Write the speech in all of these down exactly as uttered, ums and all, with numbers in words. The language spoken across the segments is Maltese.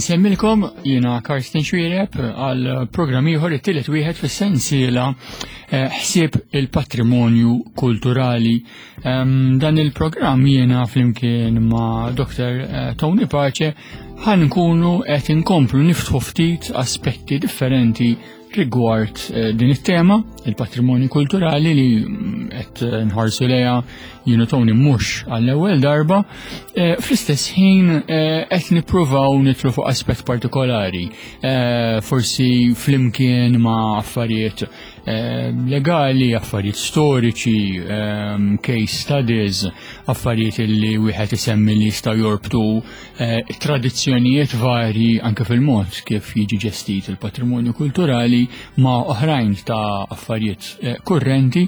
Insemmilkom jiena Karsten Xuereb għal programm ieħor, it-tielet wieħed fis-sensiela eh, ħsieb il-patrimonju kulturali. Dan il-programm jiena flimkien ma' Doktor eh, Tony Pace ħan nkunu qed inkomplu niftħu ftit aspetti differenti rigward eh, din it-tema, il-patrimonju kulturali, li mm, qed nħarsu lejha jienu Tony mhux għall-ewwel darba. Eh, fl-istess ħin eh, qed nippruvaw nitlu fuq aspett partikolari, forsi flimkien ma' affarijiet legali, affarijiet storiċi, case studies, affarijiet li wieħed isemmi li jistgħu jorbtu tradizzjonijiet varji anke fil-mod kif jiġi ġestit il-patrimonju kulturali ma' oħrajn ta' affarijiet eh, kurrenti,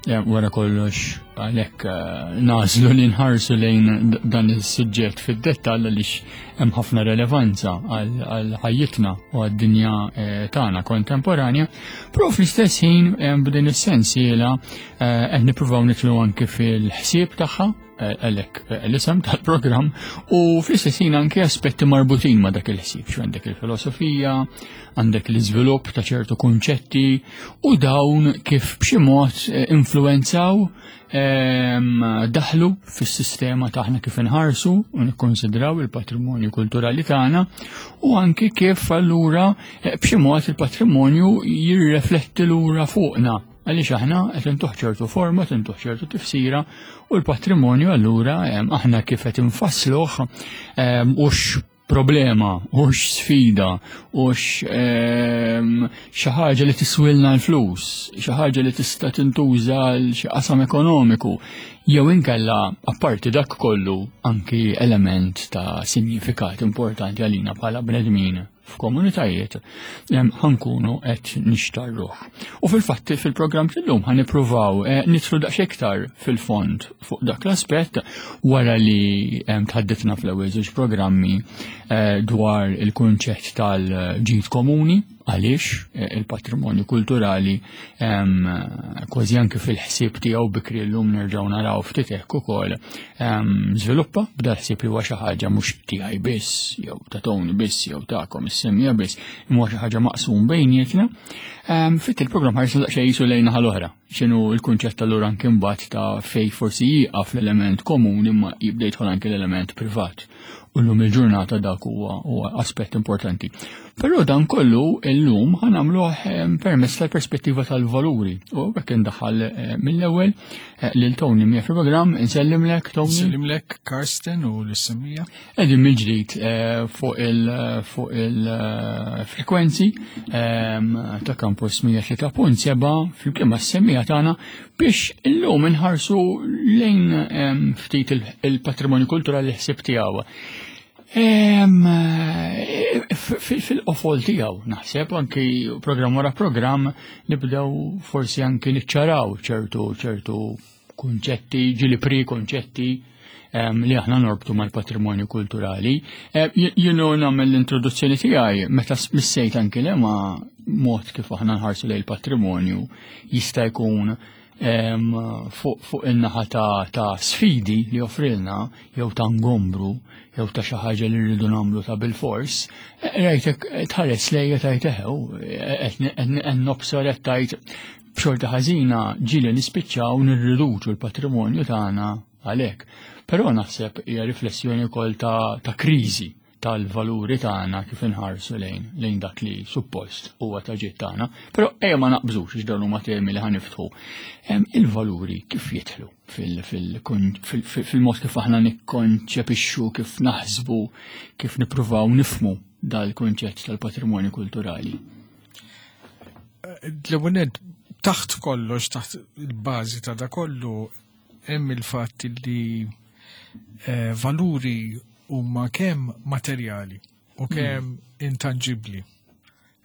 eh, wara kollox għalhekk eh, nagħżlu li nħarsu lejn dan is-suġġett fid-dettall, għaliex hemm ħafna relevanza għal ħajjitna u għad-dinja tagħna kontemporanja, però fl-istess ħin b'din is-sensiela qed nippruvaw nidħlu anke fil-ħsieb tagħha, għalhekk l-isem tal-programm, u fl-istess ħin anke aspetti marbutin ma' dak il-ħsieb, xu għandek il-filosofija, għandek l-iżvilupp ta' ċertu kunċetti u dawn kif b'xi mod eh, influenzaw, ehm, daħlu fis-sistema taħna kif inħarsu u nikkonsidraw il-patrimonju kulturali tagħna, u anke kif allura eh, b'xi mod il-patrimonju jirrefletti lura fuqna, għaliex aħna qed intuh ċertu forma, intuh ċertu tifsira, u l-patrimonju allura ehm, aħna kif qed infassluh ehm, hux problema, hux sfida, hux ehm, xi ħaġa li tiswilna l-flus, xi ħaġa li tista' tintuża għal xi qasam ekonomiku, jew inkella apparti dak kollu anki element ta' sinjifikat importanti għalina bħala bnedmin f'komunitajiet, ħa nkunu qed nixtarruh. U fil-fatti fil-programm tal-lum ħa nippruvaw eh, nidħlu daqsxejn iktar fil-fond fuq dak l-aspett wara li tħadditna fl-ewwel żewġ programmi eh, dwar il-kunċett tal-ġid komuni, għaliex eh, il-patrimonju kulturali kważi anke fil-ħsieb tiegħu bikri, llum nerġgħu naraw ftit hekk ukoll, żviluppa b'dal ħsieb li huwa xi ħaġa mhux tiegħi biss jew ta' Tony biss jew tagħkom is-semmiegħa biss, imma xi ħaġa maqsum bejnietna. Fit il-programm ħarsu daqsxejn jisu lejn naħa l-oħra. X'inhu l-kunċett allura anke mbagħad ta' fej forsi jieqaf l-element komuni imma jibda jidħol anke l-element privat? U llum il-ġurnata dak huwa huwa aspett importanti. Però dan kollu llum ħa nagħmluh permezz tal-perspettiva tal-valuri. U hekk indaħħal eh, mill-ewwel eh, lil Tony miegħi fil-programm. Insellimlek, Tony. Insellimlek, Karsten, u lis-semmiegħa. Qegħdin mill-ġdid eh, fuq il fuq il-frekwenzi ta' Campus mija u tlieta punt seba' flimkien mas-semmiegħa tagħna biex illum inħarsu lejn ftit il-patrimonju kulturali, ħsieb tiegħu fil-qofol tiegħu. Naħseb anki programm wara programm nibdew forsi anki niċċaraw ċertu ċertu kunċetti, ġieli pre-konċetti li aħna norbtu mal-patrimonju kulturali. Jienu nagħmel l-introduzzjoni tiegħi meta missejt anki li ma mod kif aħna nħarsu lejn il-patrimonju jista' jkun fuq in-naħa ta' sfidi li joffrilna jew ta' ngombru jew ta' xi ħaġa li rridu nagħmlu ta' bil-fors, rajtek tħares lejja tajt eħew, qed nobsor qed tajt b'xorta ħażina ġieli nispiċċaw nirriduċu l-patrimonju tagħna għalhekk. Però naħseb hija riflessjoni wkoll ta', ta kriżi tal-valuri tagħna kif inħarsu lejn lejn dak li suppost huwa ta' ġid tagħna. Però ejja ma naqbżux, għax dawn huma temi li ħa niftħu. Il-valuri kif jidħlu fil-mod kif aħna nikkonċepixxu, kif naħsbu, kif nippruvaw nifhmu dal-kunċett tal-patrimonju kulturali? L-ewwel, taħt kollox, taħt il-bażi ta' da kollu, hemm il-fatt li eh, valuri huma kemm materjali u kemm mm. intangibbli.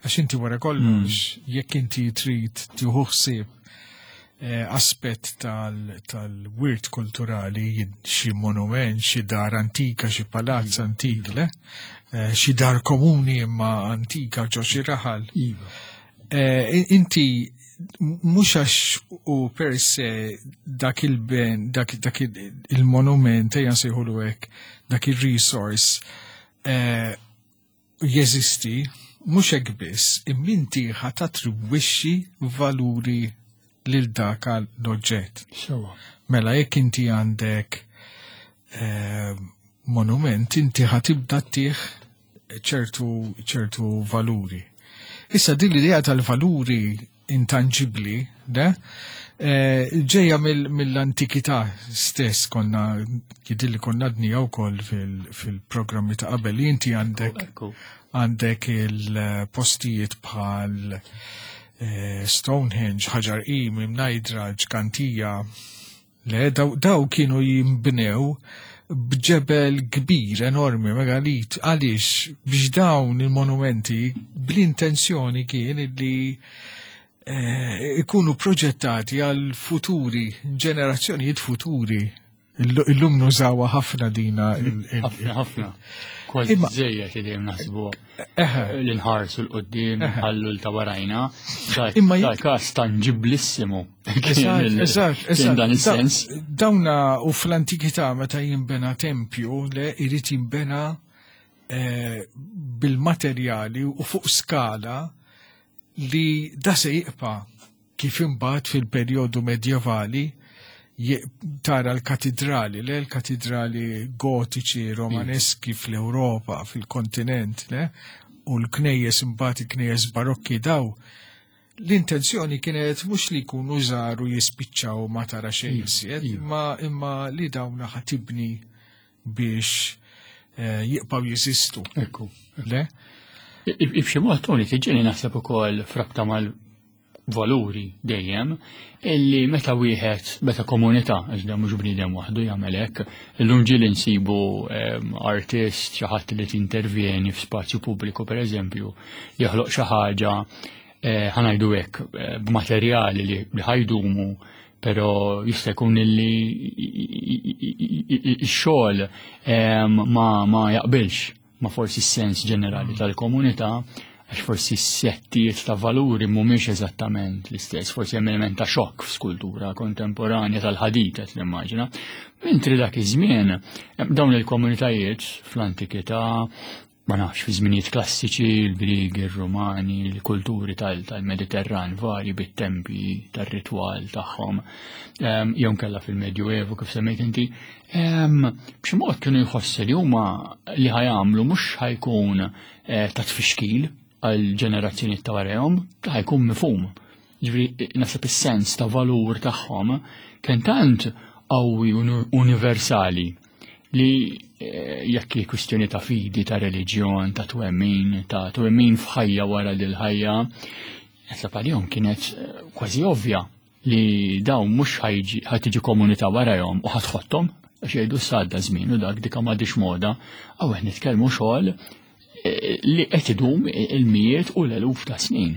Għax inti wara kollox, mm. jekk inti trid tieħu ħsieb eh, aspett tal-wirt kulturali, xi monument, xi dar antika, xi palazz mm. antik, le? Eh, xi dar komuni imma antika ġo xi raħal. Iva. Eh, inti mhux għax u per se dak il-ben, dak, dak il-monument, ejja nsejħulu hekk, dak il-resource, eh, Jeżisti, mhux hekk biss, imma inti ħa tattribwixxi valuri lil dak l-oġġett. Sewwa. Mela jekk inti għandek eh, monument, inti ħa tibda ttih ċertu ċertu valuri. Issa din l-idea tal-valuri intangibli, de, eh, ġeja mill-antikità stess, konna jidhirli konna għednieha wkoll fil-programmi ta' qabel li inti għandek Ekku. għandek il-postijiet bħal eh, Stonehenge, Ħaġar Qim, Mnajdra, Ġgantija, le, daw, daw kienu jimbnew b'ġebel kbir, enormi, megalit. Għaliex? Biex dawn il-monumenti bl-intenzjoni kien li eh, ikunu proġettati għal futuri, ġenerazzjonijiet futuri. Illu- Illum nużawha ħafna dina. il- il- Ħafna, ħafna. Kważi Imma- żejjed li dejjem naħsbu Eħe, li nħarsu 'l quddiem, nħallu 'l ta' warajna. Imma Da każ tangiblissimu. Eżatt, eżatt, Kien eżatt. dan is-sens. Da- Dawna u fl-antikità meta jimbena tempju, le irid jimbena eh, bil-materjali u fuq skala li da se jibqa' kif imbagħad fil-perjodu medjevali je- tara l-katidrali, le l-katidrali gotiċi, romaneski fl-Europa, fil-kontinent, le, u l-knejjes imbagħad il-knejjes barokki daw. L-intenzjoni kienet mhux li jkunu żgħar u jispiċċaw ma tara xejn iżjed, imma imma li dawna ħa tibni biex eh, jibqgħu jeżistu. Ekku. Le? B'xi mod, Tony, tiġini naħseb ukoll f'rabta mal-valuri dejjem illi meta wieħed, meta komunità, għax da mhux bniedem waħdu jagħmel hekk, illum ġieli nsibu em, artist, xi ħadd li tintervjeni f'spazju pubbliku, pereżempju, joħloq xi ħaġa eh, ħa ngħidu hekk eh, b'materjali li li ħa jdumu, pero jista' jkun illi x-xogħol em, ma ma jaqbilx ma forsi s-sens ġenerali tal-komunità, għax forsi s-settijiet ta' valuri mhumiex eżattament l-istess, forsi hemm element ta' xokk f'skultura kontemporanja tal-ħadid qed nimmaġina. Mentri dak iż-żmien dawn il-komunitajiet fl-antikità, ma nafx, fi żminijiet klassiċi, il-Griegi, il-Romani, il-kulturi tal-Mediterran vari bit-tempi tar-ritwal tagħhom, em, jew kella fil-Medjuevu kif semmejt inti, em, b'xi mod kienu jħossu li huma li ħa jagħmlu mhux ħa jkun eh, ta' tfixkil għal ġenerazzjoni ta' warahom, ta' ħa jkun mifhum. Ġifieri naħseb is-sens ta' valur tagħhom kien tant qawwi universali li eh, jekk hi kwistjoni ta' fidi, ta' reliġjon, ta' twemmin, ta' twemmin f'ħajja wara lil ħajja, naħseb għalihom kienet eh, kważi ovvja li dawn mhux ħa tiġi komunità warahom u ħa tħotthom għax jgħidu s'għadda żmien u dak dika m'għadix moda, għaw qed nitkellmu xogħol eh, li qed idum il-mijiet u l-eluf ta' snin.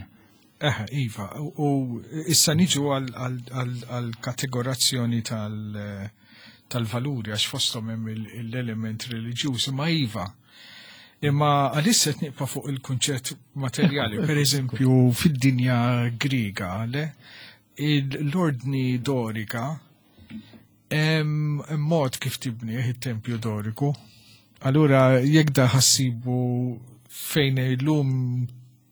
Eħe, iva, u issa niġu għal-kategorazzjoni tal- tal-valuri, għax fosthom hemm l-element reliġjuż, imma iva. Imma għalissa qed nibqa' fuq il-kunċett materjali, per eżempju, fid-dinja Griega, le, l-ordni dorika, hemm mod kif tibni it-tempju doriku. Allura jekk da ħa ssibu fejn illum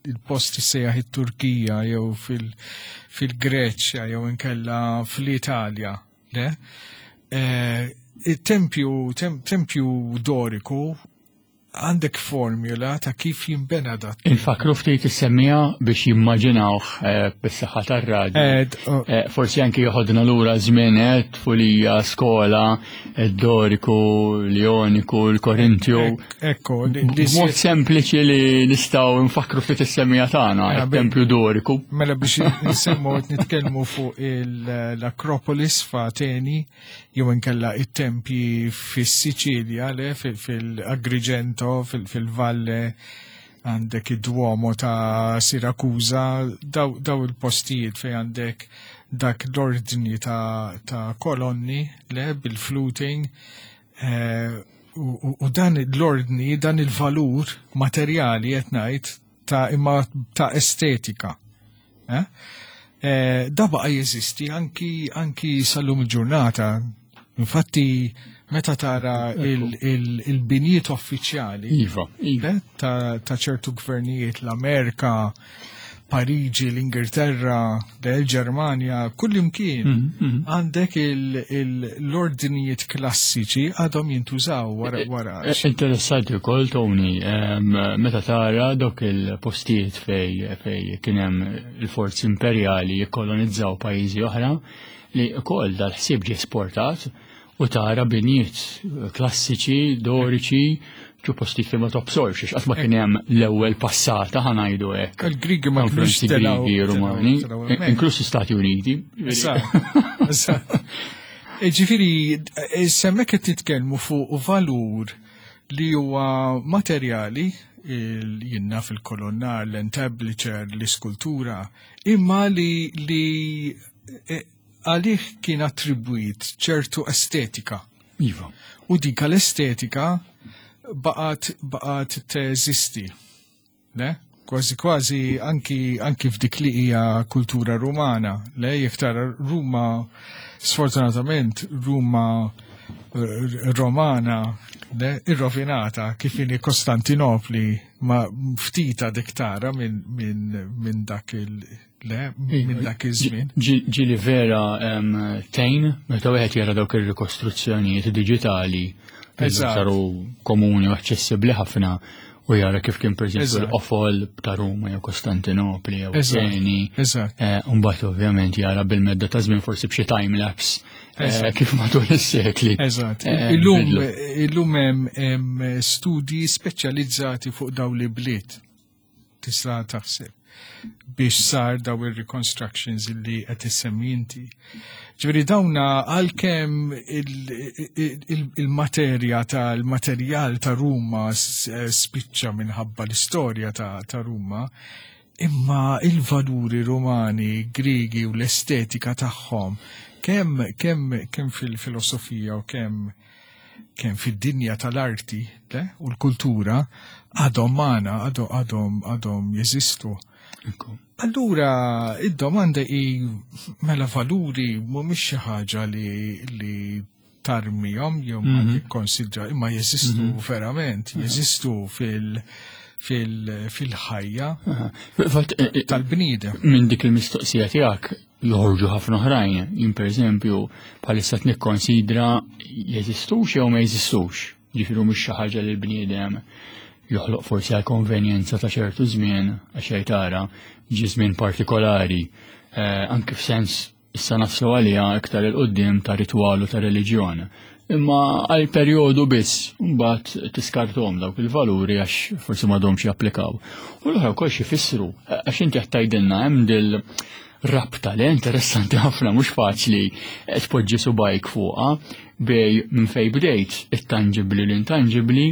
il-post sejjaħ it-Turkija jew fil-Greċja jew inkella fl-Italja, le? Eh, il-tempju tempju doriku għandek formula ta' kif jimbena dat. Infakru ftit is-semmija biex jimmaġinawh eh, bis-saħħa tar-radju. Eh, oh. Eh, forsi anki joħodna lura żmien tfulija, skola, id-doriku, l-Joniku, l-Korintju. Ekko, Mod sempliċi li nistgħu nfakru ftit is-semmija tagħna, il-tempju doriku. Mela biex nsemmu qed nitkellmu fuq l-Akropolis f'Ateni jew inkella it-tempji fis-Siċilja, le, fil-Agrigento, fil-Valle, għandek id-Duomo ta' Siracusa, daw, daw il-postijiet fej għandek dak l-ordni ta', ta kolonni, le, bil-fluting, eh, u, u dan l-ordni, dan il-valur materjali qed ngħid ta' imma ta' estetika. Eh? Eh, da baqa jeżisti anki, anki sal-lum il-ġurnata. Infatti, Meta tara il-binijiet uffiċjali iva, iva. ta' ċertu gvernijiet, l-Amerika, Pariġi, l-Ingilterra, l-Ġermanja, kullimkien għandek l-ordinijiet klassiċi għadhom jintużaw wara wara. Interessanti wkoll, Tony, meta tara dawk il-postijiet fej fej kien hemm il-forzi imperjali jikkolonizzaw pajjiżi oħra, li wkoll dal-ħsieb ġie esportat u tara binijiet klassiċi, doriċi, ġu postijiet fejn ma tobsorx, għax qatt ma kien hemm l-ewwel passata, ħa ngħidu hekk. Il-Grigi ma kinux Grigi, Rumani, inkluż Stati Uniti. Ġifieri, semmek qed titkellmu fuq valur li huwa materjali, jiena fil-kolonnar, l-entablature, l-iskultura, imma li li għalih kien attribwit ċertu estetika. Iva. U dik l-estetika baqgħet baqgħet teżisti. Le? Kważi kważi anki anki f'dik li hija kultura rumana, le, jekk tara Ruma, sfortunatament Ruma Romana, le, irrovinata kif inhi Kostantinopli, ma ftita dik tara minn min, min dak il le minn dak iż-żmien. Ġieli vera tejn meta wieħed jara dawk ir-rikostruzzjonijiet diġitali saru komuni u aċċessibbli ħafna u jara kif kien pereżempju l-qofol ta' Ruma jew Kostantinopli jew Ateni. Mbagħad ovvjament jara bil-medda ta' żmien forsi b'xi time lapse kif matul is-sekli. Eżatt. Illum illum hemm studji speċjalizzati fuq dawn li bliet. Tista' taħseb biex sar daw il-reconstructions illi qed issemmi inti. Ġifieri dawna għalkemm il-materja tal-materjal ta' Ruma spiċċa minħabba l-istorja ta' Ruma, imma il-valuri Rumani, Grigi u l-estetika tagħhom kemm kemm kemm fil-filosofija u kemm kemm fid-dinja tal-arti u l-kultura għadhom magħna, għadhom għadhom jeżistu. Allura, id-domanda hi, mela valuri mhumiex xi ħaġa li li tarmihom jew ma tikkonsidra, imma jeżistu verament, jeżistu fil- fil-ħajja tal-bniedem. Minn dik il-mistoqsija tiegħek joħorġu ħafna oħrajn. Jien pereżempju bħalissa nikkonsidra jeżistux jew ma jeżistux. Ġifieri mhux xi ħaġa li l-bniedem joħloq forsi għal konvenjenza ta' ċertu żmien, għax tara ġi żmien partikolari, anke f'sens issa naslu għalija iktar il-qoddim ta' ritwalu ta' reliġjon. Imma għal perjodu biss, mbagħad tiskartom dawk il-valuri għax forsi m'għadhomx japplikaw. U l-oħra wkoll xi jfissru, għax inti qed tgħidilna hemm dil rabta li interessanti ħafna, mhux faċli tpoġġi subajk fuqha bej minn fej bdejt it-tangibbli l-intangibbli,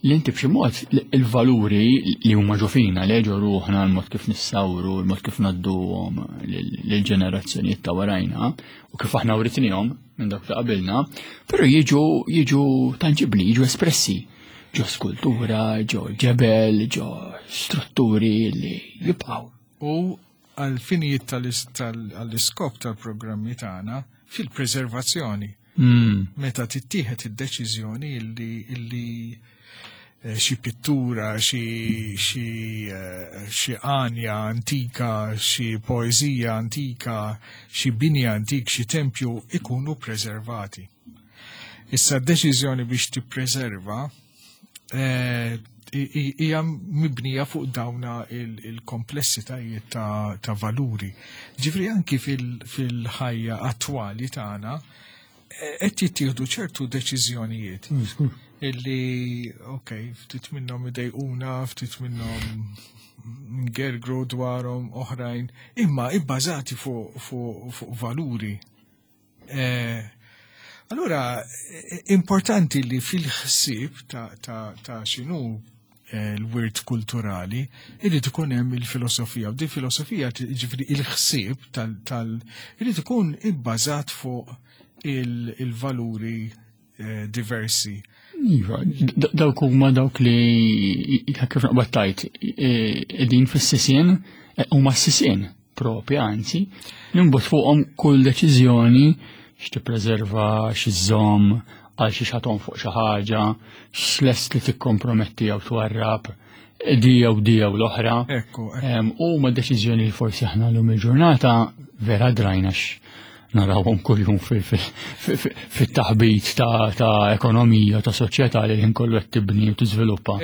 li inti b'xi mod il-valuri li huma ġo fina, li ġo ruħna, l-mod kif nissawru, l-mod kif nadduhom lill-ġenerazzjonijiet ta' warajna u kif aħna writnihom minn dak ta' qabilna, però jiġu jiġu tangibbli, jiġu espressi ġo skultura, ġo ġebel, ġo strutturi li jibqgħu. U għal-finijiet tal-iskop tal-programmi tagħna fil-preservazzjoni. Meta tittieħed id-deċiżjoni illi illi xi pittura, xi xi għanja antika, xi poeżija antika, xi bini antik, xi tempju ikunu preservati. Issa d-deċiżjoni biex tippreserva hija mibnija fuq dawna il-komplessitajiet ta' valuri. Ġifieri anki fil-ħajja attwali tagħna qed jittieħdu ċertu deċiżjonijiet illi, ok, ftit minnhom idejquna, ftit minnhom ngergru dwarhom oħrajn, imma ibbażati fuq fu, fu valuri. Eh, allura, importanti li fil-ħsieb ta', ta, ta' x'inhu l-wirt kulturali, irid ikun hemm il-filosofija. U di filosofija, ġifieri il-ħsieb tal, tal irid ikun ibbażat fuq il-valuri eh, diversi. Iva, dawk huma dawk li kif naqbad tajt qegħdin fis-sisien, huma s-sisien propja, anzi, li mbagħad fuqhom kull deċiżjoni x'tippreserva, x'iżżomm, Għal xi xaton fuq xi ħaġa, x'lest li tikkomprometti jew twarrab di jew di jew l-oħra. Ekku, ekku. U ma deċiżjoni li forsi aħna llum il-ġurnata vera drajna narawhom kuljum fit-taħbit ta' ekonomija, ta' soċjetà li l kollu qed tibni u tiżviluppa.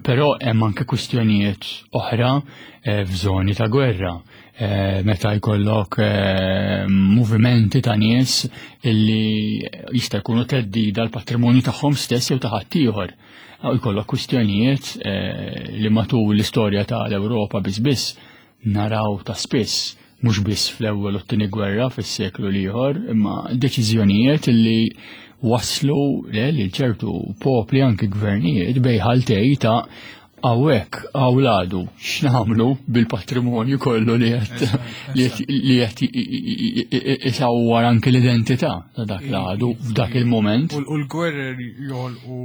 Però hemm anke kwistjonijiet oħra eh, f'żoni ta' gwerra. Eh, meta jkollok eh, movimenti ta' nies illi jista' jkunu theddida l-patrimonju tagħhom stess jew ta' ħaddieħor. U jkollok kwistjonijiet li matul l-istorja tal-Ewropa biss biss naraw ta' spiss, mhux biss fl-ewwel u t-tieni gwerra fis-seklu l-ieħor, imma deċiżjonijiet li waslu li ċertu popli, anki gvernijiet, bejn ħaltej ta' hawnhekk għawladu x'nagħmlu bil-patrimonju kollu li qed li qed isawwar anki l-identità ta' dak l-għadu f'dak il-moment. U l-gwerer joħolqu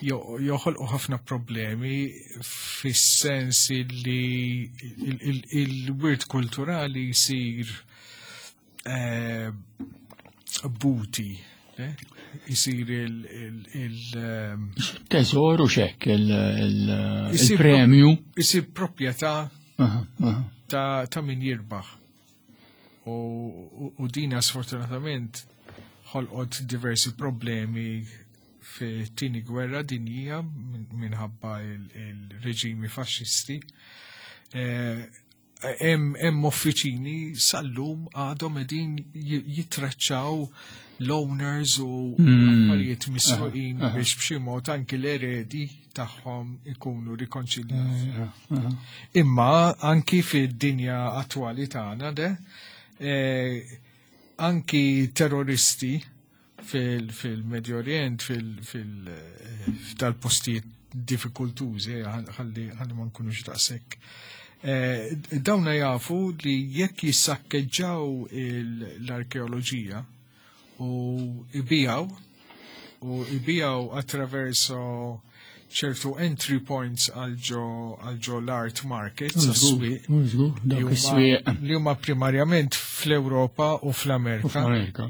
joħolqu ħafna problemi fis-sens li il-wirt kulturali jsir eh, booty, jisir il- ehm, Teżoru xek, il-premju. Jisir proprjetà ta' min jirbaħ. U dina sfortunatament ħolqot diversi problemi fi tieni gwerra dinjija minħabba il-reġimi faxxisti. Eh, hemm uffiċini sal-lum għadhom qegħdin jitraċċaw l-owners u hmm. affarijiet misruqin biex b'xi mod anki l-eredi tagħhom ikunu rikonċiljati. Imma anki fid-dinja attwali tagħna de eh, anki terroristi fil-Medio Orient, fil-dal-postijiet diffikultużi, ħalli ma nkunux daqshekk. Eh, dawna jafu li jekk jissakkeġġaw l-arkeoloġija u ibijaw u ibijaw attraverso ċertu entry points għal ġo l-art markets, li huma primarjament fl-Ewropa u fl-Amerika.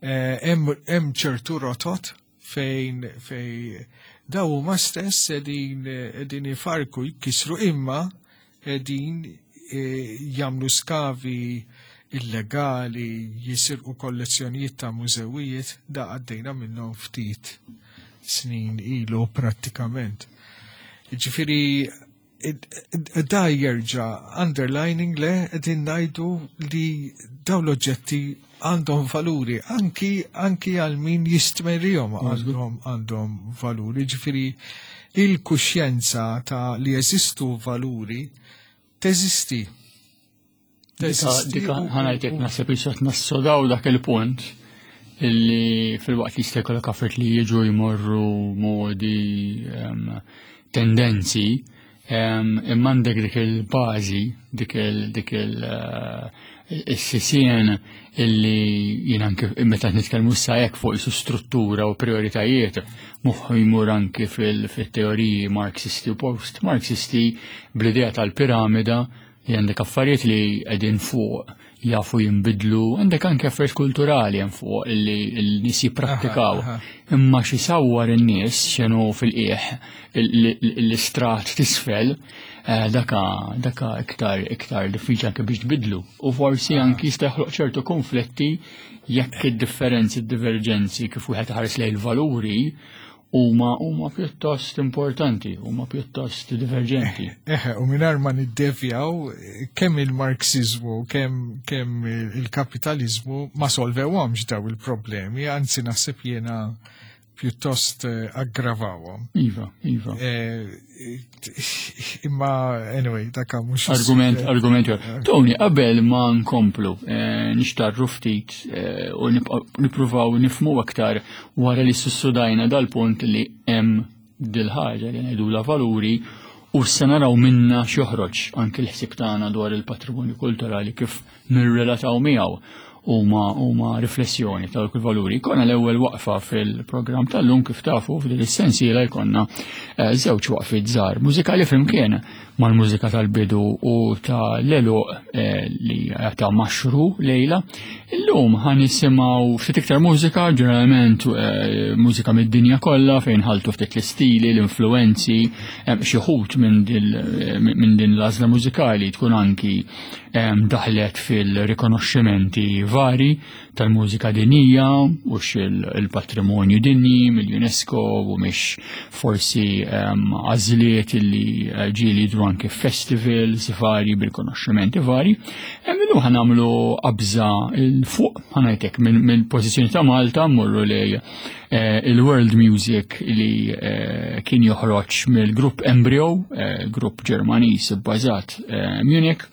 Eh, hemm ċertu rotot fejn fej daw huma stess qegħdin qegħdin ifarku, jkisru, imma qegħdin eh, jagħmlu skavi illegali, jisirqu kollezzjonijiet ta' mużewijiet. Da għaddejna minnhom ftit snin ilu prattikament. Ġifieri da jerġa' underlining le qegħdin ngħidu li daw l-oġġetti għandhom valuri, anki anki għal min jistmerrihom għandhom għandhom valuri. Ġifieri il-kuxjenza ta' li jeżistu valuri teżisti. Dika ħa ngħidlek, naħseb issa nassodaw dak il-punt illi fil-waqt li jista' jkollok affarijiet li jiġu jmorru, modi, tendenzi, imma għandek dik il-bażi, dik il- dik il- eh, il-sisien illi jien anke meta nitkellmu issa hekk fuq isu struttura u prioritajiet, moħħu jmur anke fil-teoriji marxisti u post-marxisti bl-idea tal-piramida, li għandek affarijiet li qegħdin fuq jafu jinbidlu, għandek anke affarijiet kulturali hemm fuq illi l-nies jipprattikaw. Imma xi sawwar in-nies, x'inhu fil-qiegħ, l-istrat t'isfel, eh, daka daka iktar iktar diffiċli anke biex tbidlu. U forsi anki jista' joħloq ċertu konflitti jekk id-differenzi, id-divergenzi kif wieħed ħares lejn il-valuri huma huma pjuttost importanti, huma pjuttost diverġenti. Eħe, u mingħajr ma niddevjaw, kemm il-Marxizmu, kemm kemm il-kapitalizmu ma solvewhomx daw il-problemi, anzi naħseb jiena pjuttost eh, aggravawhom. Iva, iva. Eh, imma anyway, daka mhux Argument, argument. Tony, qabel ma nkomplu, eh, nixtarru ftit u nippruvaw nifmu aktar wara li sussudajna dal-punt li hemm dil-ħaġa li ngħidula valuri u se naraw minna x'joħroġ anke l-ħsieb tagħna dwar il-patrimonju kulturali, kif nirrelataw miegħu. huma huma riflessjoni ta' dawk il-valuri. Konna l-ewwel waqfa fil-programm tal-lum, kif tafu, f'din is-sensiela jkollna eh, żewġ waqfiet żgħar mużikali flimkien mal-mużika tal-bidu u tal-għeluq eh, li ta' Maxru lejla. Illum ħa nisimgħu ftit iktar mużika, ġeneralment eh, mużika mid-dinja kollha, fejn ħaltu ftit l-istili, l-influenzi, xi wħud minn din l-għażla mużikali tkun anki daħlet fil-rikonoxximenti vari tal-mużika dinjija u il-patrimonju dinji mill-UNESCO u mhix forsi għażliet li ġieli jidhru anke festivals vari bil-konoxximenti vari. Illum ħa nagħmlu qabża 'l fuq, ħa ngħidlek, mill-pożizzjoni ta' Malta mmorru lej il-world music li kien joħroġ mill-grupp Embryo, grupp Ġermaniż bbażat Munich,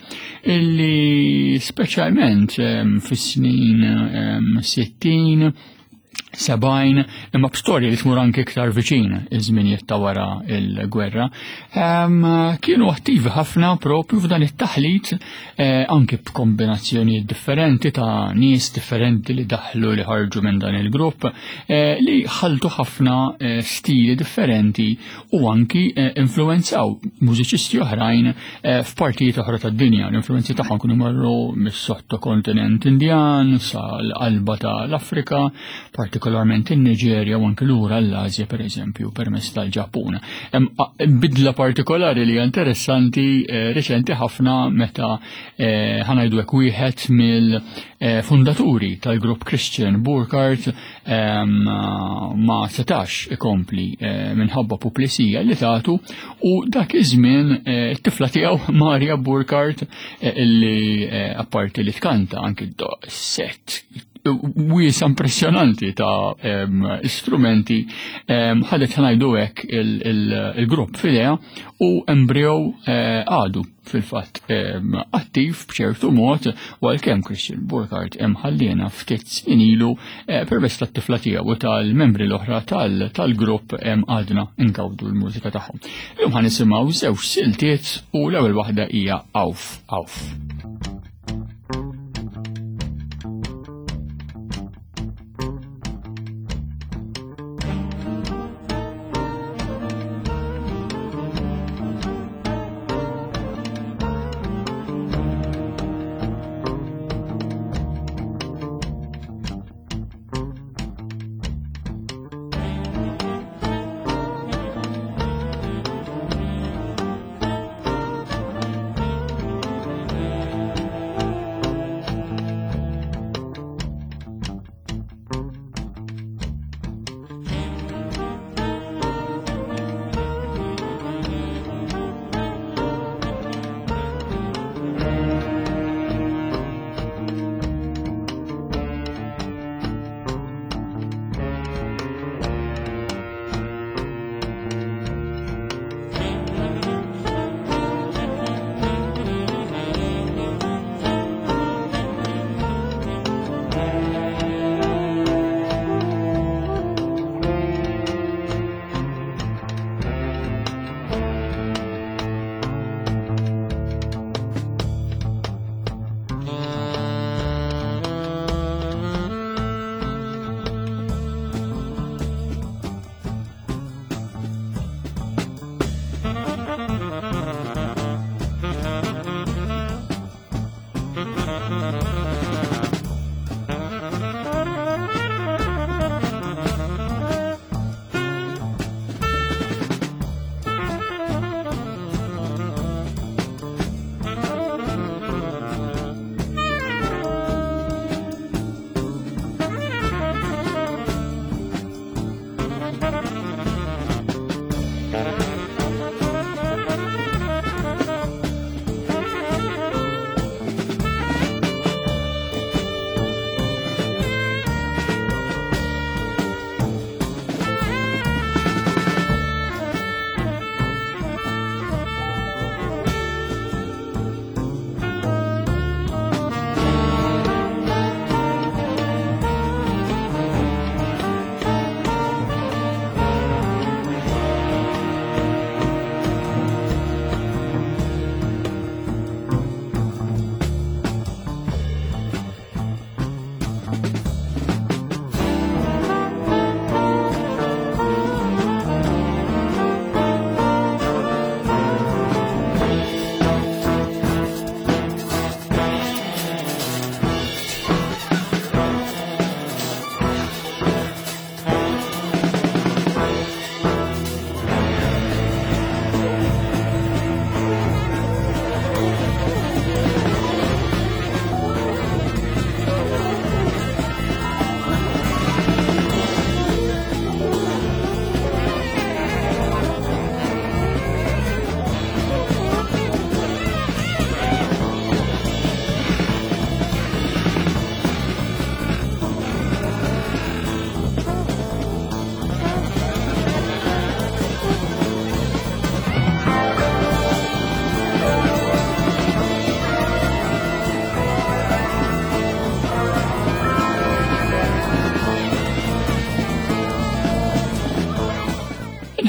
illi speċjalment fis-snin sittin, sebgħin, imma b'storja li tmur anke iktar viċin iż-żminijiet ta' wara l-gwerra, kienu attivi ħafna propju f'dan it-taħlit, anke b'kombinazzjonijiet differenti ta' nies differenti li daħlu li ħarġu minn dan il-grupp, li ħaltu ħafna stili differenti u anki influenzaw mużiċisti oħrajn f'partijiet oħra tad-dinja. L-influenzi tagħhom kienu marru mis-sottokontinent Indjan sal-qalba tal-Afrika, partikolarment in-Niġerja u anke lura l-Asja per eżempju permezz tal-Ġappun. Hemm bidla partikolari li hija interessanti reċenti ħafna meta ħa ngħidu hekk wieħed mill-fundaturi tal-grupp Christian Burkhardt ma setax ikompli minħabba puplisija li tatu, u dak iż-żmien it-tifla tiegħu Maria Burkhardt, illi apparti li tkanta anke set wiesa impressjonanti ta' istrumenti, ħadet ħa ngħidu hekk il-grupp f'idejha u Embryo għadu fil-fatt attiv b'ċertu mod, u għalkemm Christian Burkhardt hemm ħallina ftit snin ilu, permezz tat-tifla tiegħu u tal-membri l-oħra tal-grupp għadna ngawdu l-mużika tagħhom. Illum ħa nisimgħu żewġ siltiet u l-ewwel waħda hija Auf Auf. Thank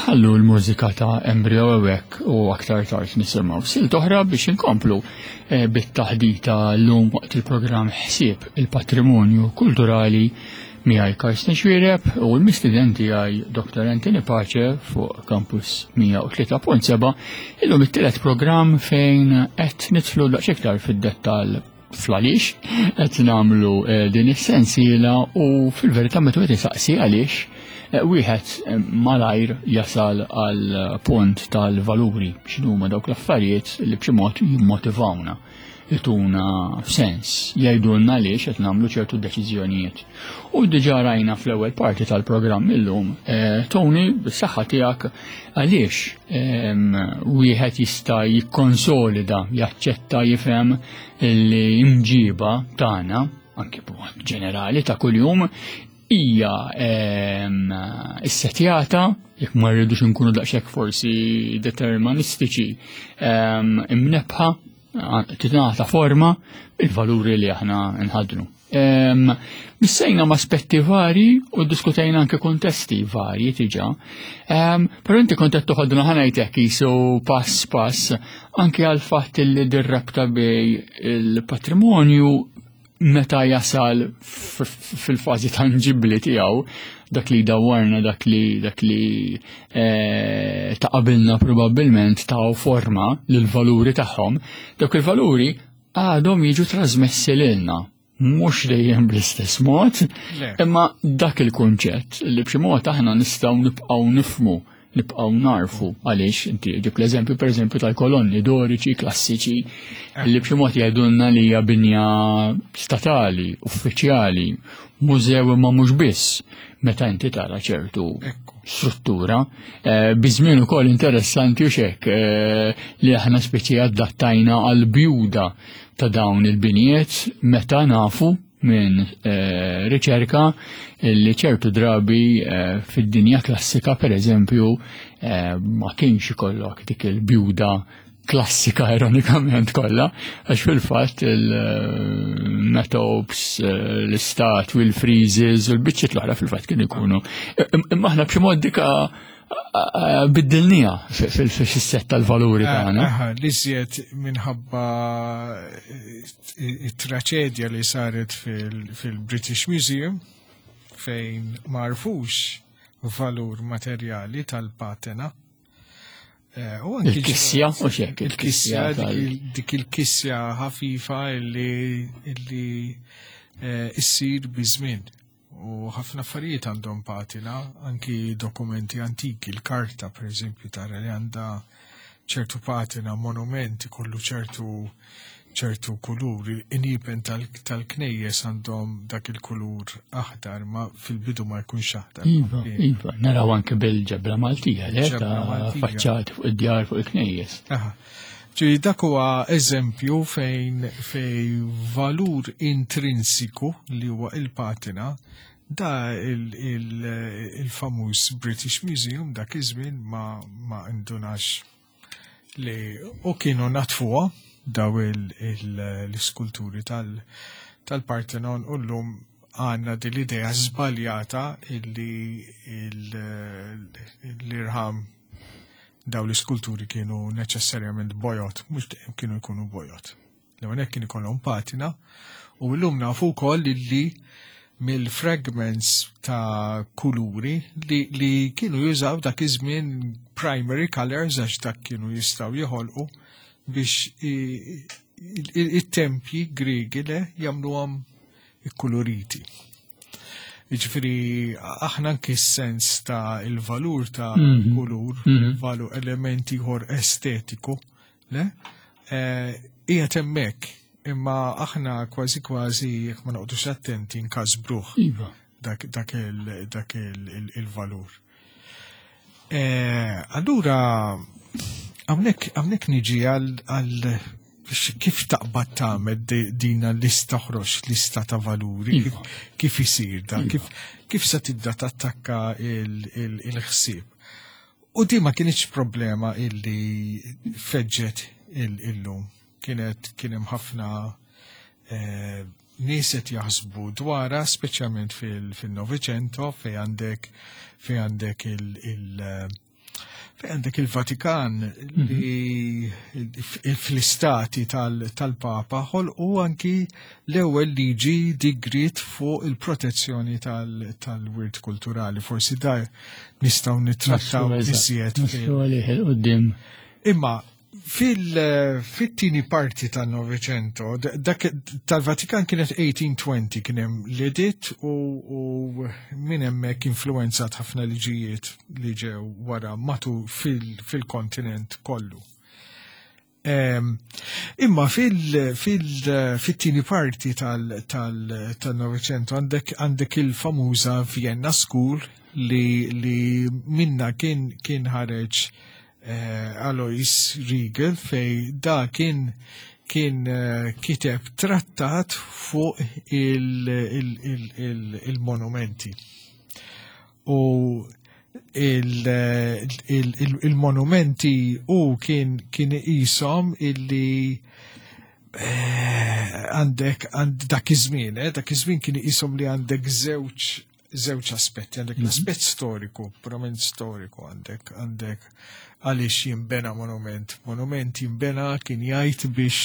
Ħanħallu l-mużika ta' Embryo Ewek u aktar tard nisimgħu silta oħra biex inkomplu eh, bit-taħdita llum waqt il-programm Ħsieb il-Patrimonju Kulturali miegħi Karsten Xuereb u l-mistieden tiegħi Dottor Anthony Pace fuq Campus mija u tlieta punt seba', illum it-tielet programm fejn qed nidħlu daqsxejn iktar fid-dettall fl-għaliex qed nagħmlu eh, din is-sensiela. U fil-verità, meta wieħed isaqsi għaliex, eh, wieħed eh, malajr jasal għal punt tal-valuri, x'inhuma dawk l-affarijiet li b'xi mod jimmotivawna, jtuna sens, jgħidulna għaliex qed nagħmlu ċertu deċiżjonijiet. U diġà rajna fl-ewwel parti tal-programm illum, eh, Tony, bis-saħħa tiegħek, għaliex em, wieħed jista' jikkonsolida, jaċċetta, jifhem li imġiba tagħna, anke b'mod ġenerali ta' kuljum, hija em, issetjata, jekk ma rridux nkunu daqshekk forsi deterministiċi, em, imnebħa, tingħata forma il-valuri li aħna nħadnu. Em, Missejna ma' aspetti vari u diskutejna anke kontesti varji diġà. Um, Pero inti kont qed toħodna, ħa ngħidlek, jisu pass pass anke għal fatt li dir-rabta bejn il-patrimonju meta jasal f- f- fil-fażi tangibli tiegħu, dak li dawwarna, dak li dak li eh, ta' qabilna probabbilment ta' forma lil valuri tagħhom, dawk il-valuri għadhom jiġu trasmessi lilna. Mhux dejjem bl-istess mod, Le. imma dak il-kunċett li b'xi mod aħna nistgħu nibqgħu nifmu, nibqgħu narfu għaliex. Inti ġib l-eżempju, pereżempju, tal-kolonni doriċi klassiċi li b'xi mod jgħidulna li hija binja statali, uffiċjali, mużew, imma mhux biss meta inti tara ċertu Ekku. struttura. Eh, Biż-żmien ukoll interessanti u xek eh, li aħna speċi adattajna għal bjuda ta' dawn il-binijiet, meta nafu minn eh, riċerka li ċertu drabi eh, fid-dinja klassika, per eżempju, eh, ma kienx ikollok dik il-bjuda klassika ironikament kollha, għax fil-fatt il-metopes, l-istatwi, il-friezes u l-biċċiet l-oħra fil-fatt kienu jkunu. Imma aħna b'xi mod dika biddilnieha fil-sett tal-valuri tagħna. Aha, l-iżjed minħabba it-traċedja li saret fil- fil-British Museum, fejn m'għarfux valur materjali tal-patena. Eh, u anki Il-kissja, u xek, il-kissja, il-kissja dik tal- il- dik il-kissja ħafifa illi illi eh, issir biż-żmien. U ħafna affarijiet għandhom patina, anki dokumenti antiki, il-karta, per eżempju, tara li għandha ċertu patina, monumenti kollu ċertu ċertu kulur, in-nipen tal-knejjes għandhom dak il-kulur aħdar, ma fil-bidu ma jkunx aħdar. Iva, iva, naraw anke bil-ġebla Maltija, le, Ġebla ta' Maltija. faċċati fuq id-djar, fuq il-knejjes. Aha. Ġifieri dak huwa eżempju fejn fejn valur intrinsiku li huwa il-patina, da il-famuż British Museum dak iż-żmien ma ma indunax li u kienu natfuha daw il- il- l-iskulturi tal- tal-Parthenon u llum għandna din l-idea żbaljata illi il- l-irħam, daw l-iskulturi kienu neċessarjament bojod, mhux dejjem kienu jkunu bojod. L-ewwel kien ikollhom patina u llum nafu wkoll illi mill-fragments ta' kuluri li, li kienu jużaw dak iż-żmien, primary colors, għax dak kienu jistgħu joħolqu biex i- i- it-tempji Griegi le jagħmluhom ikkuluriti. Jiġifieri aħna anki s-sens ta' il-valur ta' Mhm. kulur, Mhm. valur elementi ieħor estetiku, le? Eh, Qiegħed hemmhekk, imma aħna kważi kważi, jekk ma noqgħodux attenti, nkasbruh Iva. dak, dak, il, dak il, il, il-valur. Eh, allura, hawnhekk hawnhekk niġi għal, għal kif taqbad tagħmel di- din lista, ħroġ lista ta' valuri, kif, Iva. kif isir da, Iva. kif, kif se tibda tattakka il- il- il-ħsieb. U di ma kienx problema illi feġġet il- illum. Kienet kien hemm ħafna eh, nies qed jaħsbu dwarha, speċjalment fil-Novecento, fej għandek fej għandek il- il- eh, Fejn għandek il-Vatikan li fl-istati tal-Papa ħolqu anki l-ewwel liġi digrit fuq il-protezzjoni tal-wirt kulturali. Forsi da nistgħu nittrattaw iżjed. Imma fil-tieni parti tal-Novecento, dak tal-Vatikan kienet eighteen twenty, kien hemm l-editt u, u minn hemmhekk influenzat ħafna liġijiet li ġew wara matu fil-kontinent kollu. Imma fil-tieni parti tal-Novecento għandek għandek il-famuża Vienna School li, li minna kien kien ħareġ eh, Alois Riegel, fej da kien kien eh, kiteb trattat fuq il-monumenti. U il-monumenti u kien kien jisom illi eh, għandek għand dak iż-żmien, eh, dak iż-żmien kien jisom li għandek żewġ żewġ aspetti, għandek l-aspett storiku, purament storiku, għandek għandek għaliex jimbena monument. Monument jimbena, kien jgħid, biex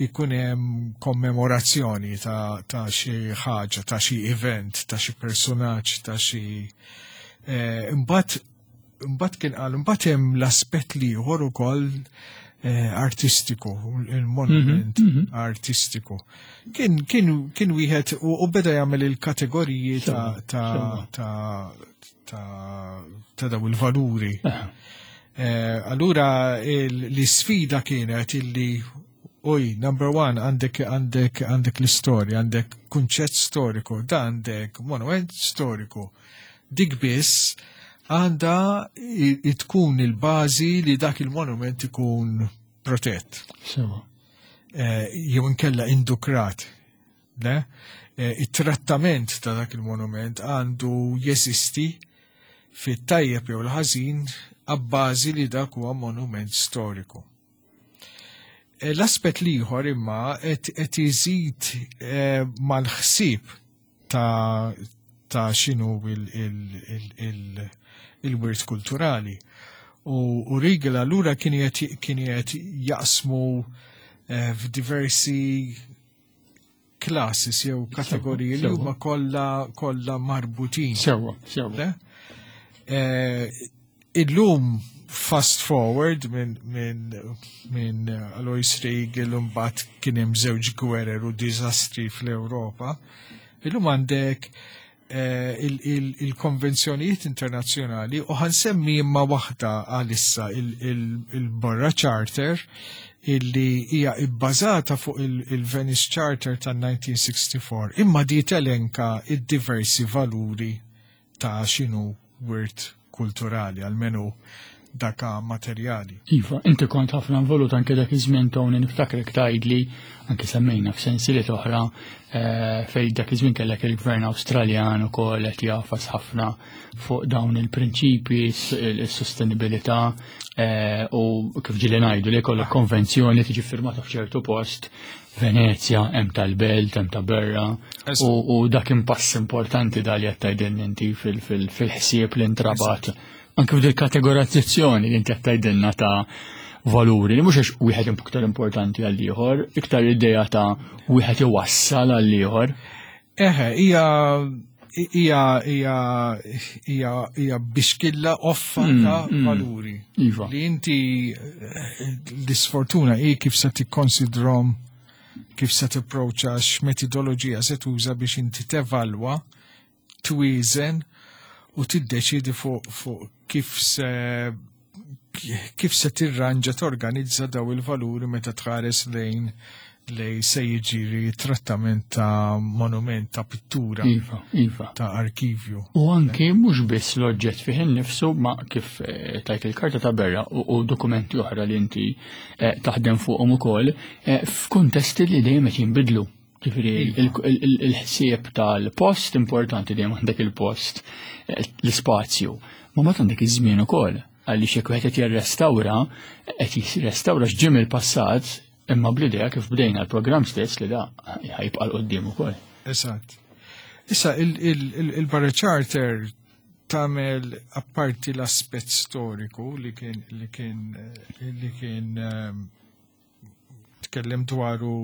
ikun hemm kommemorazzjoni ta', ta xi ħaġa, ta' xi event, ta' xi personaġġ, ta' xi eh, imbagħad imbagħad kien qal imbagħad hemm l-aspett l-ieħor ukoll eh, artistiku, il-monument mm -hmm. artistiku. Kien kien kien wieħed u, u beda jagħmel il-kategoriji ta' ta' ta' ta' ta' daw il-valuri. Eh, allura l-sfida kienet illi uj, number one, għandek għandek għandek l-istorja, għandek kunċett storiku, da għandek monument storiku. Dik biss għanda tkun il-bażi li dak il-monument ikun protett. Sewa. Eh, jew inkella indukrat. Le? Eh, it-trattament ta' dak il-monument għandu jeżisti fit-tajjeb jew l-ħażin abbażi li dak huwa monument storiku. Eh, L-aspett l-ieħor imma qed iżid mal-ħsieb ta' ta' x'inhu il-wirt kulturali. U, u Riegel allura kien qed jaqsmu eh, f'diversi classes jew kategoriji li huma kollha kollha marbutin. Sewa, sewa. Eh, illum fast forward minn min, min Alois Riegel, mbagħad kien hemm żewġ gwerer u diżastri fl-Ewropa. Illum għandek eh, il-konvenzjonijiet internazzjonali u ħa nsemmi imma waħda għalissa, il-Barra Charter, illi hija ibbażata fuq il-Venice Charter tal-elf disa' mija u sitta u sittin, imma di telenka id-diversi valuri ta' x'inhu wirt kulturali, almenu daka materjali. Iva, inti kont ħafna involut anke dak iż-żmien, Tony, niftakrek tgħidli, anke semmejna f'sensiliet oħra, eh, fej dak iż-żmien kellek il-Gvern Awstraljan ukoll qed jafas ħafna fuq dawn il-prinċipi, il-sostenibilità eh, u kif ġieli ngħidu li jkollok konvenzjoni tiġi firmata f'ċertu post, Venezja, hemm tal-Belt, hemm ta' Berra, u, u dak impass importanti dal qed tgħidilna inti fil-ħsieb li ntrabat anke f'dil kategorizzazzjoni li inti qed tgħidilna ta' valuri li mhux għax wieħed iktar importanti għal ieħor, iktar idea ta' wieħed iwassal għal ieħor. Eħe, hija hija hija hija hija bixkilla offa Mm, ta' mm. valuri. Iva. Li inti eh, l-isfortuna hi kif se tikkonsidrom, kif se tipproċa, x'metodoloġija se tuża biex inti tevalwa, twieżen u tiddeċidi fuq fuq kif se kif se tirranġa, torganizza daw il-valuri meta tħares lejn lej se jiġri trattament ta' monument, ta' pittura, Iva, iva. ta' arkivju. U anke mhux biss l-oġġett fih innifsu, ma kif eh, tajt il-karta ta' Berra u, u dokumenti oħra li inti eh, taħdem fuqhom ukoll eh, f'kuntesti li dejjem qed jinbidlu. Ġifieri Iva. il- il- il-ħsieb tal-post importanti, dejjem għandek il-post, eh, l-ispazju. Ma mbagħad għandek iż-żmien ukoll, għaliex jekk wieħed qed jirrestawra, qed jirrestawra x'ġim il-passat, imma bl-idea kif bdejna l-programm stess li da ħajbqa' 'l quddiem ukoll. Eżatt. Issa il-Barra Charter tagħmel apparti l-aspett storiku li kien li kien li kien ehm, tkellem dwaru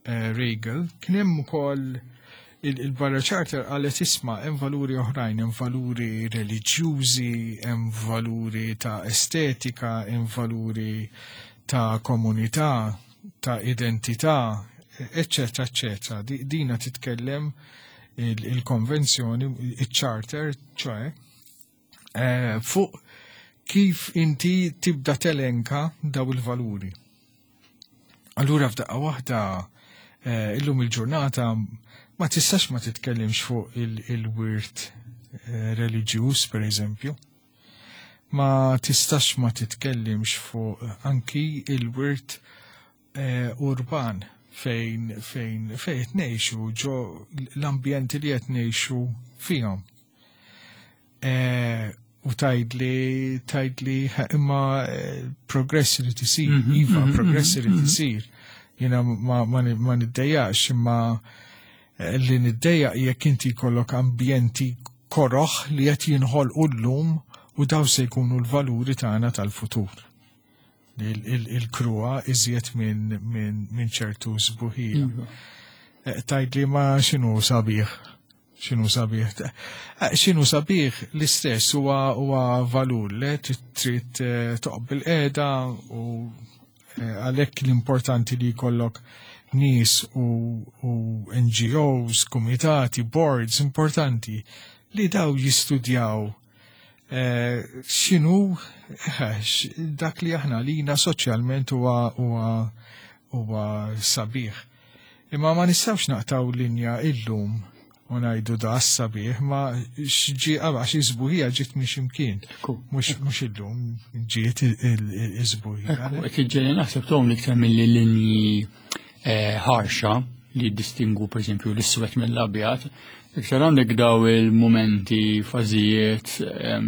eh, Regal, kien hemm ukoll il-Barra Charter qalet, isma', hemm valuri oħrajn, hemm valuri reliġjużi, hemm valuri ta' estetika, hemm valuri ta' komunità, ta' identità, eccetera, eccetera. Dina titkellem il-konvenzjoni, il-charter, ċoè, eh, fuq kif inti tibda telenka daw il-valuri. Allura f'daqqa waħda eh, illum il-ġurnata ma tistax ma titkellimx fuq il-wirt eh, reliġjuż, per eżempju. Ma tistax ma titkellimx fuq anki il-wirt urban fejn fejn fejn qed ngħixu, ġo l-ambjenti li qed ngħixu fihom. E, u tgħidli tgħidli imma eh, progress li tisir, mhm, iva, mhm, progress li mhm, tisir. Jiena ma, ma, ma niddejjax, imma eh, li niddejjaq jekk inti jkollok ambjenti koroħ li qed jinħolqu llum u daw se jkunu l-valuri tagħna tal-futur, il-kruha iżjed minn ċertu sbuħija. Iva. Eh, tgħidli ma x'inhu sabiħ? X'inhu sabiħ? Eh, x'inhu sabiħ l-istess huwa huwa valur li trid eh, toqgħod bilqiegħda u għalhekk l-importanti li jkollok nies u, u N G Os, komitati, boards importanti li daw jistudjaw Eh, x'inhu eh, dak li aħna lina soċjalment huwa huwa huwa sabiħ. Imma ma nistgħux naqtaw linja illum u ngħidu da sabiħ, ma x'ġi għax is-sbuħija ġiet minn x'imkien. Mhux illum ġiet is-sbuħija. Qed iġġeli naħseb tom iktar milli linji eh, ħarxa li distingu, per esempio, l-iswed mill-abjad. Iktar għandek daw il-momenti, fażijiet,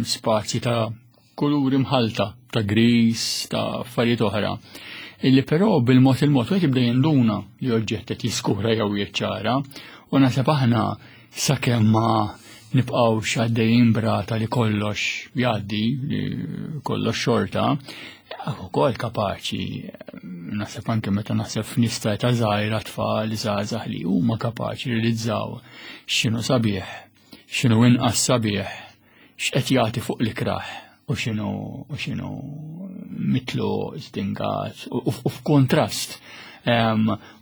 spazji ta' kuluri mħalta, ta' gris, ta' affarijiet oħra. Illi però bil-mod il-mod wieħed jibda jinduna li oġġett qed jiskura jew jiċċara u naħseb aħna sakemm ma nibqgħux għaddejjin brata li kollox jgħaddi, li kollox xorta, ukoll kapaċi, naħseb anke meta naħseb f'nies ta' żgħira, tfal, żgħażagħ li huma kapaċi realizzaw x'inhu sabiħ, x'inhu inqas sabiħ, x'qed jagħti fuq l-ikraħ u x'inhu u x'inhu mitlu stingat u f'kontrast.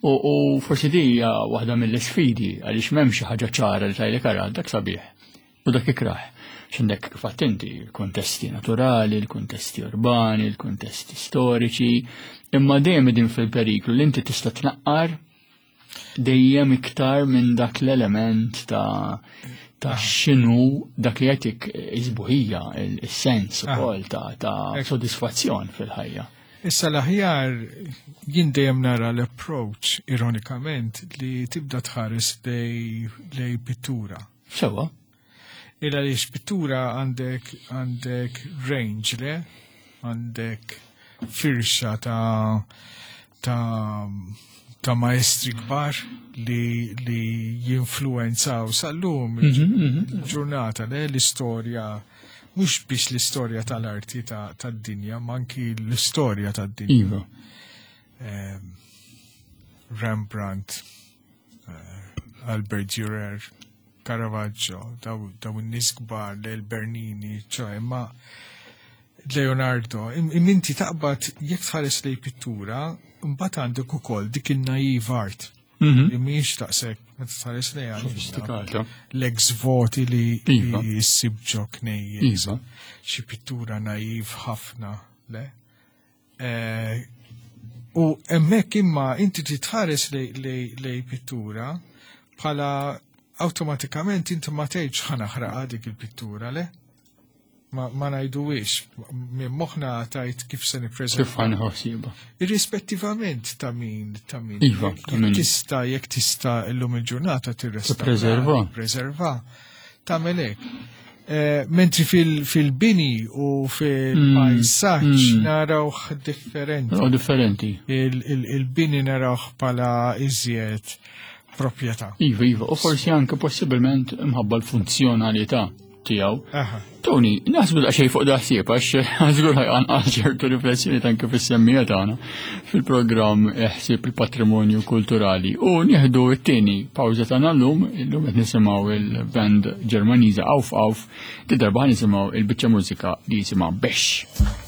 U forsi di hija waħda mill-isfidi għaliex m'hemm xi ħaġa ċara li tgħidlek, ara, dak sabiħ u dak ikraħ. X'għandek kif inti il-kontesti naturali, il-kontesti urbani, il-kontesti storiċi, imma dejjem din fil-periklu li inti tista' tnaqqar dejjem iktar minn dak l-element ta' ta' x'inhu dak li jagħtik is-sbuħija, il-sens ah. ukoll ta' ta' sodisfazzjon fil-ħajja. Issa l-aħjar jien dejjem nara l-approach, ironikament, li tibda tħares lej pittura. Sewa. Illa li pittura għandek għandek range, le? Għandek firxa ta' ta' ta' maestri kbar li, li jinfluenzaw sal-lum mhm, mhm. ġurnata, le, l-istorja, mhux biex l-istorja tal-arti tad-dinja, ma anki l-istorja tad-dinja. Iva. Rembrandt, eh, Albert Dürer, Caravaggio, daw, daw in-nies kbar, l Bernini, ċoè, ma Leonardo, inti taqbad jekk tħares lej pittura, mbagħad għandek ukoll dik il-naive art. Mhm. Li mhijiex daqshekk meta tħares lejha. Sofistikata. L-ex voti li Iva. li ssib ġo knejjes. Iva. Xi pittura naiv ħafna, le? Eh, U hemmhekk imma inti titħares lej pittura bħala awtomatikament inti ma tgħidx ħa naħraqha dik il-pittura, le? Ma, ma ngħiduwix, minn moħħna tajt kif se nippreżenta. Kif ħa nħossiba. Irrispettivament ta' min, ta' min. Iva, Jekk ta' min. Tista' jekk tista' illum il-ġurnata tirrestawra. Tippreserva. Preserva. Tagħmel hekk. Eh, mentri fil-bini u fil-pajsaġġ mm. narawh differenti. U differenti. Il- il- Il-bini narawh bħala iżjed proprjetà. Iva, iva, u forsi anke possibilment imħabba l-funzjonalità. tiegħu. Tony, naħsbu daqsxejn fuq daħsieb għax żgur ħajqanqal ċertu riflessjoni anke fis-semmija tagħna fil-programm ħsieb il-patrimonju kulturali. U nieħdu t-tieni pawża tagħna llum, illum qed nisimgħu il-band Ġermaniża Auf Auf, di darba nisimgħu il-biċċa mużika li jisimha Bex.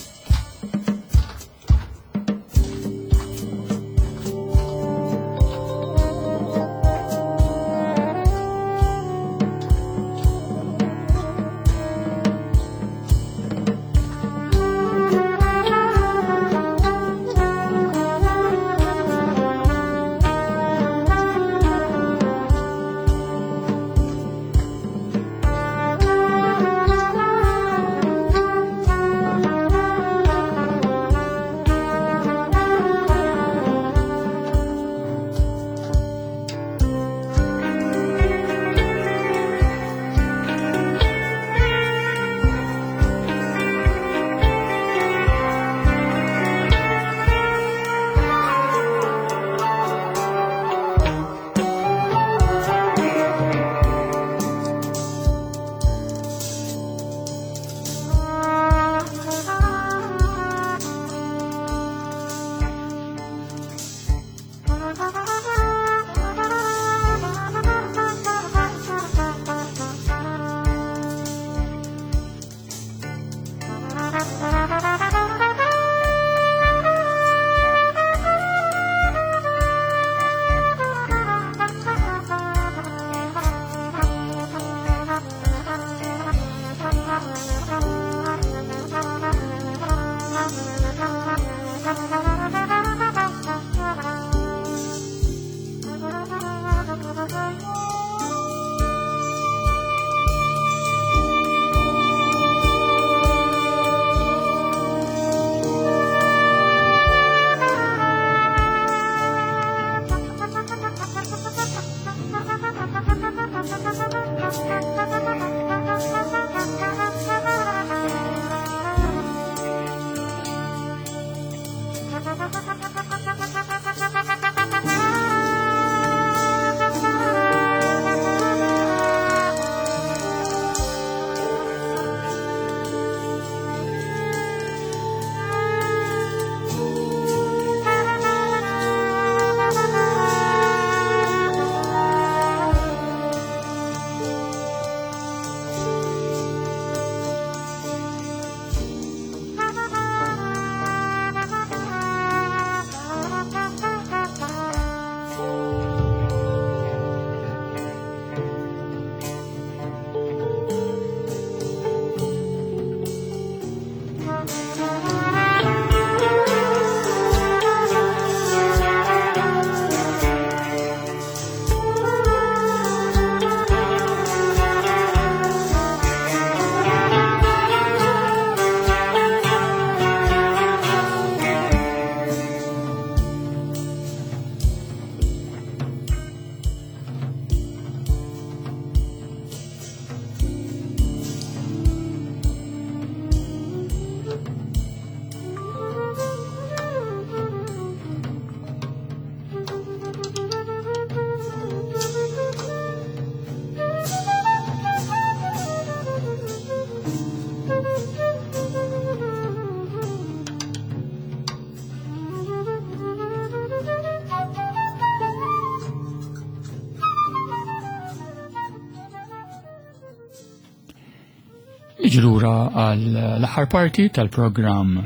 Ġlura għal l-aħħar parti tal-programm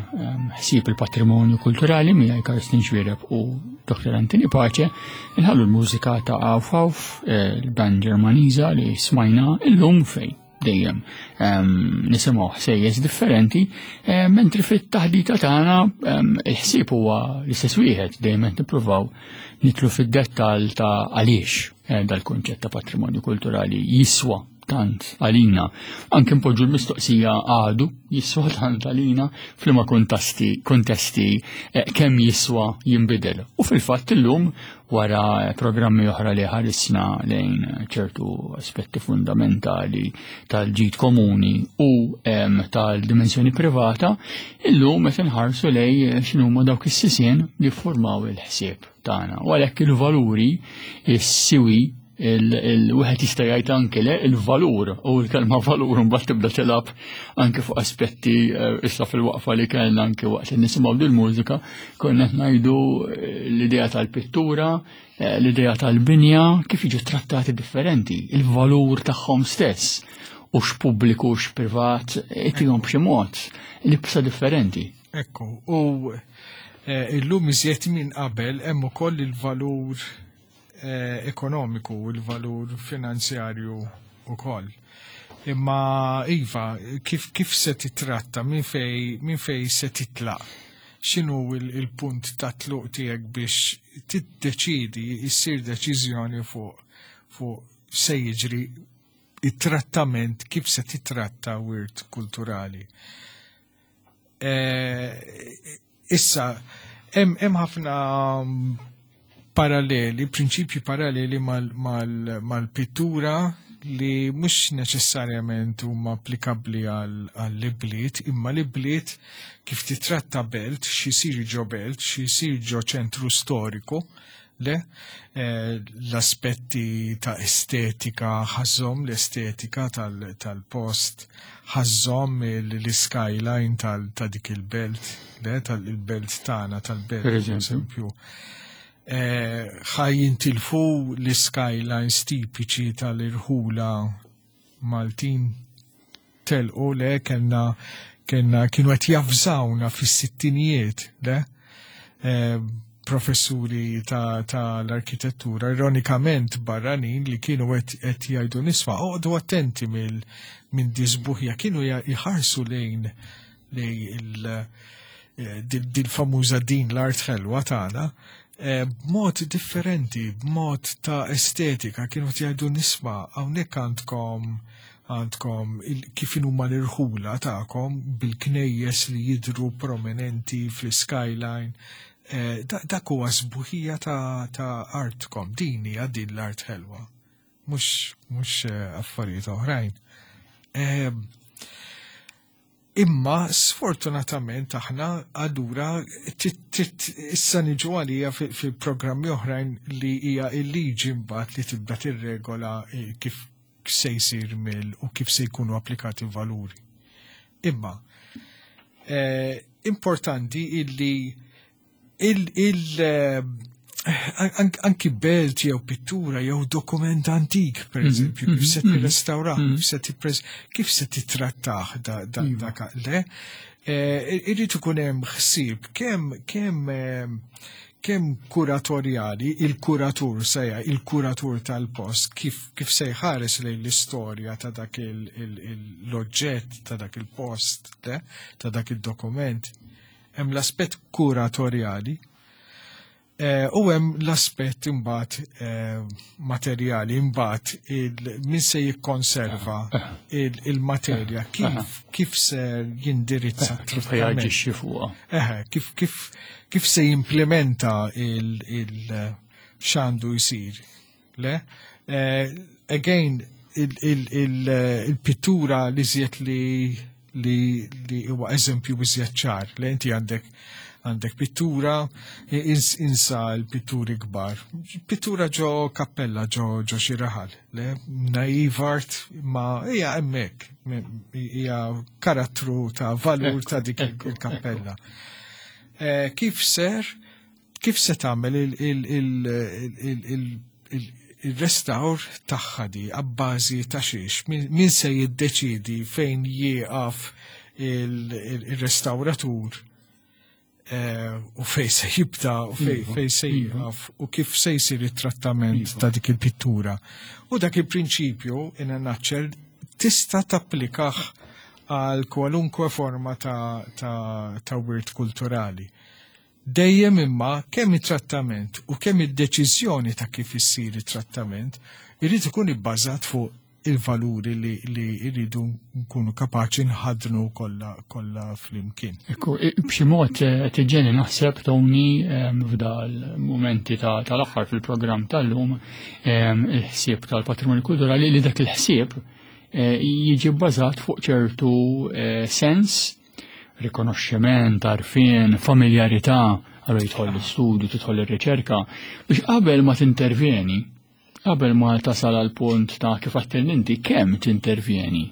Ħsieb il-Patrimonju Kulturali miegħi Karsten Xuereb u Doktor Anthony Pace, inħallu l-mużika ta' Auf Auf, il-band Ġermaniża li smajna illum fej dejjem nisimgħu ħsejjes differenti, mentri fit-taħdita tagħna il-ħsieb huwa l-istess wieħed, dejjem qed nippruvaw nitlu fid-dettall ta' għaliex dal-kunċett ta' patrimonju kulturali jiswa tant għalina. Anke npoġġu l-mistoqsija għadu jiswa tant għalina f'liema kontesti kontesti kemm jiswa jinbidel. U fil-fatt illum wara programmi oħra li ħarisna lejn ċertu aspetti fundamentali tal-ġid komuni u tal-dimensjoni privata, illum qed inħarsu lejn x'inhuma dawk is-sisien li ffurmaw il-ħsieb tagħna. U għalhekk il-valuri, is-siwi Il-wieħed jista' jgħid anke le il-valur u l-kelma valur mbagħad tibda tilgħab anke fuq aspetti eh, issa fil-waqfa li kellna anke waqt li nisimgħu dil-mużika konna qed ngħidu eh, l-idea tal-pittura, eh, l-idea tal-binja kif jiġu trattati differenti, il-valur tagħhom stess u x'pubbliku u x'privat itihom b'xi mod libsa differenti. Ekku, u illum iżjed minn qabel hemm ukoll il-valur eh, ekonomiku u l-valur finanzjarju ukoll. Imma iva, kif, kif se titratta, minn fej, min fej se titlaq? X'inhu il-punt ta' tluq tiegħek biex tiddeċidi, issir deċiżjoni fuq fuq se jiġri it-trattament, kif se titratta wirt kulturali. Eh, issa, hemm ħafna paralleli, prinċipji paralleli mal-pittura li mhux neċessarjament huma applikabbli għall-ibliet, imma l-ibliet kif titratta belt, x'isir ġo belt, x'isir ġo ċentru storiku, le eh, l-aspetti ta' estetika ħażhom l-estetika tal-post, ħażhom l-skyline ta' dik il-belt, le tal-belt tagħna tal-belt, per eżempju. Eh, ħa jintilfu l-skylines tipiċi tal-irħula Maltin telqu le kellna kellna kienu qed javżawna fis-sittinijiet le eh, professuri ta', ta l-arkitettura ironikament barranin li kienu qed jgħidu nisma' oqgħodu attenti mill minn dis-sbuħija kienu jħarsu lejn lejn il eh, dil-famuża din l-art ħelwa tagħna eh, b'mod differenti, b'mod ta' estetika, kienu jgħidu nisma' hawnhekk għandkom għandkom kif huma l-irħula tagħkom bil-knejjes li jidru prominenti fl-skyline. Eh, dak huwa sbuħija ta', ta artkom, din hija din l-art ħelwa, mhux mhux eh, affarijiet oħrajn. Eh, imma sfortunatament aħna allura issa niġu għalija fil-programmi oħrajn li hija il-liġi mbagħad li tibda tirregola kif se jsir mill u kif se jkunu applikati valuri. Imma eh, importanti illi il, il eh, anki belt jew pittura jew dokument antik, per mhm, eżempju, kif se mhm, tirrestawrah, mhm. kif se tippreż, kif se titrattah da dak le, eh, irrid ikun hemm ħsieb kemm kemm kemm kuratorjali, il-kuratur sejja, il-kuratur tal-post, kif, kif se jħares lejn l-istorja ta' dak l-oġġett, ta' dak il-post, ta' dak il-dokument. Hemm l-aspett kuratorjali, eh, u hemm l-aspett imbagħad eh, materjali, imbagħad min se jikkonserva il-materja, kif kif se jindirizza kif jaġixxi fuqha. Eħe, kif kif kif se jimplementa il, il x'għandu jsir. Le? Eh, again, il-pittura li żjed li li li huwa eżempju iżjed ċar, li inti għandek għandek pittura, insa l-pitturi kbar. Pittura ġo kappella, ġo ġo xi raħal, le naive art ma hija hemmhekk, hija karattru ta' valur ta' dik il-kappella. Eh, kif ser, kif se tagħmel il-restawr tagħha di abbażi ta' xiex, min se jiddeċidi fejn jieqaf il-restawratur eh, u fej se jibda u fej iva, fej se iva. jieqaf u kif se jsir it-trattament iva. ta' dik il-pittura. U dak il-prinċipju in a nutshell tista' tapplikah għal kwalunkwe forma ta', ta, ta' wirt kulturali. Dejjem imma kemm it-trattament u kemm id-deċiżjoni ta' kif issir it-trattament irid ikun ibbażat fuq il-valuri li, li jridu nkunu kapaċi nħadnu kollha kollha flimkien. Ekku, b'xi mod eh, tiġeni naħseb Tony f'dal momenti tal-aħħar fil-programm tal-lum il-ħsieb tal-patrimonju kulturali li dak il-ħsieb eh, jiġi bbażat fuq ċertu eh, sens, rikonoxximent, għarfien, familjarità, għallu jidħol l-istudju, tidħol ir-riċerka, biex qabel ma tintervjeni Qabel ma tasal għal punt ta' kif għattilni inti kemm tintervjeni,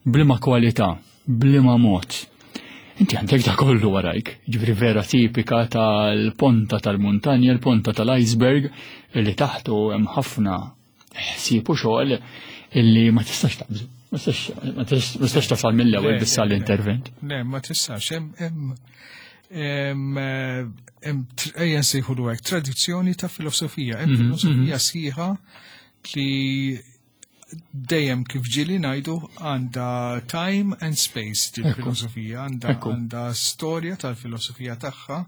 b'liema kwalità, b'liema mod. Inti għandek da kollu warajk, ġifieri vera tipika tal-ponta tal-muntanja, l-ponta tal-iceberg, illi taħtu hemm ħafna ħsieb u xogħol illi ma tistax taqbżu. Ma tistax- ma tistax ma tistax tasal mill-ewwel Le, biss le, għall-intervent. Le, ma tistax, hemm hemm hemm eh, hemm tr- ejja nsejħulu hekk tradizzjoni ta' filosofija, hemm Mhm, filosofija sħiħa li dejjem kif ġieli ngħidu għandha time and space din Ekku. filosofija, għandha Ekku. għandha storja tal-filosofija tagħha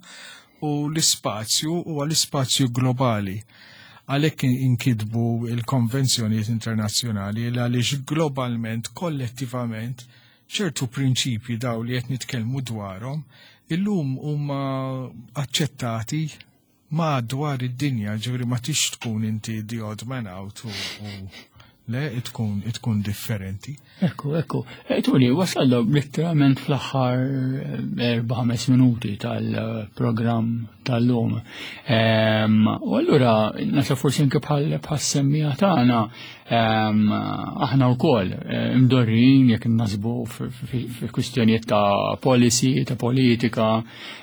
u l-ispazju huwa l-ispazju globali. Għalhekk inkitbu il-konvenzjonijiet internazzjonali l għaliex globalment, kollettivament, ċertu prinċipji daw li qed nitkellmu dwarhom illum huma aċċettati madwar id-dinja, ġifieri ma tix tkun inti the odd man out u, u le tkun tkun differenti. Ekku, ekku. E, Tony, wasalna letteralment fl-aħħar erba' ħames minuti tal-programm tal-lum. Em, U allura, nasa forsi anke bħal bħal semmiegħa tagħna, em, aħna wkoll eh, imdorrin jekk nasbu fi kwistjonijiet ta' policy, ta' politika,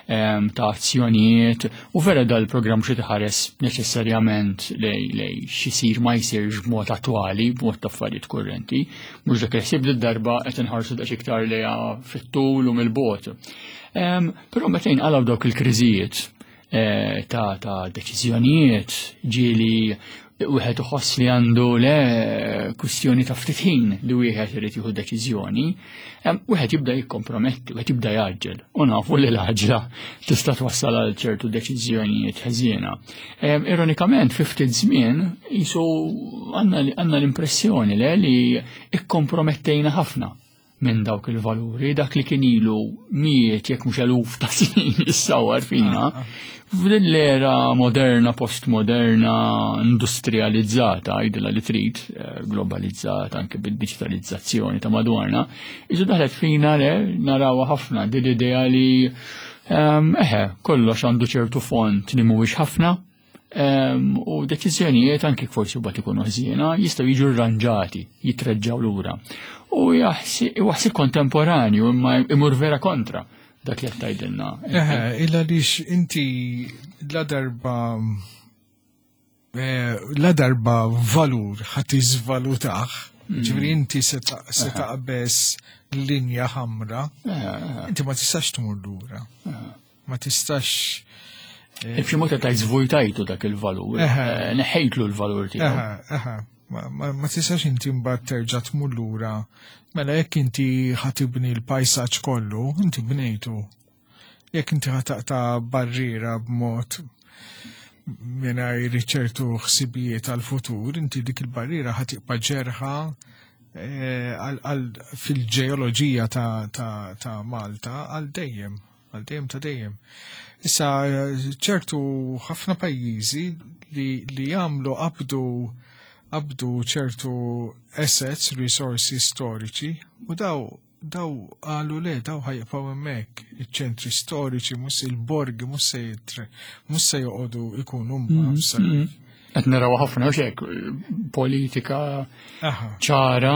em, ta' azzjonijiet, u vera dal-programm xi tħares neċessarjament lej lej xisir ma jsirx b'mod attwali, b'mod ta' affarijiet kurrenti, mhux dak il-ħsieb li darba qed inħarsu daqs iktar lejha fit-tul u mill-bogħod. Em, Però meta jinqalgħu dawk il-kriżijiet eh, ta' ta' deċiżjonijiet ġieli wieħed iħoss li għandu le kwistjoni ta' ftit ħin li wieħed irid jieħu deċiżjoni, em, wieħed jibda jikkomprometti, wieħed jibda jgħaġġel. U nafu li l-għaġla tista' twassal għal ċertu deċiżjonijiet ħżiena. Em, Ironikament, fi ftit żmien jisu għandna għandna l-impressjoni le li ikkompromettejna ħafna minn dawk il-valuri, dak li kien ilu mijiet jekk mhux eluf ta' snin jissawar fina. F'din l-era moderna, postmoderna, industrializzata, għidilha li trid, eh, globalizzata anke bid-digitalizzazzjoni ta' madwarna, iżu daħlet fina le narawha ħafna din l-idea li ehm, eħe, kollox għandu ċertu font li mhuwiex ħafna, ehm, u deċiżjonijiet anke forsi mbagħad ikunu ħżiena jistgħu jiġu rranġati, jitreġġaw lura. U jaħsib kontemporanju imma imur vera kontra dak li qed tgħidilna. Eħe, illa lix inti la darba eh, la darba valur ħa tiżvalutah, ġifieri inti se ta- se taqbeż linja ħamra, inti ma tistax tmur lura. Ma tistax. B'xi mod qed żvujtajtu dak il-valur, Eħe. eh, neħejtlu l-valur tiegħu. Eħe, eħe, ma, ma, ma tistax inti mbagħad terġa' tmur lura. Mela jekk inti ħa tibni l-pajsaġġ kollu, inti bnejtu. Jekk inti ħa taqta' barriera b'mod mingħajr ċertu ħsibijiet għal-futur, inti dik il-barriera ħa tibqa' ġerħa eh, għal- għal- fil-ġeoloġija ta', ta, ta' Malta għal dejjem, għal dejjem ta' dejjem. Issa ċertu ħafna pajjiżi li, li jagħmlu qabdu qabdu ċertu assets, resources storiċi u daw daw qalu le, daw ħa jibqgħu hemmhekk, iċ-ċentri storiċi, mhux il-borgi, mhux se jitre, mhux se joqogħdu ikunu mbagħabsa. Qed naraw ħafna u xek, politika Aha, ċara